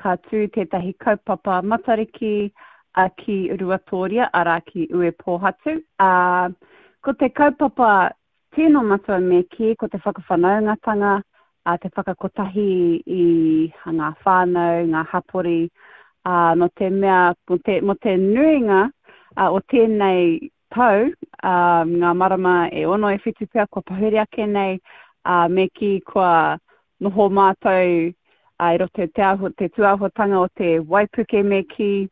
ka tū tētahi kaupapa Matariki ki Ruatōria, arā ki Uepōhatu. Ā, ko te kaupapa tino matua me kī, ko te whakawhanaungatanga, ā, te whakakotahi i ngā whānau, ngā hapori, ā, nō te mea, mō te, mō te nuinga o tēnei tau, ā, ngā marama e ono e whitu pea kua pahure ake nei, ā, me kī kua noho mātou i roto i te āhua, te tūāhuatanga o te waipuke me kī.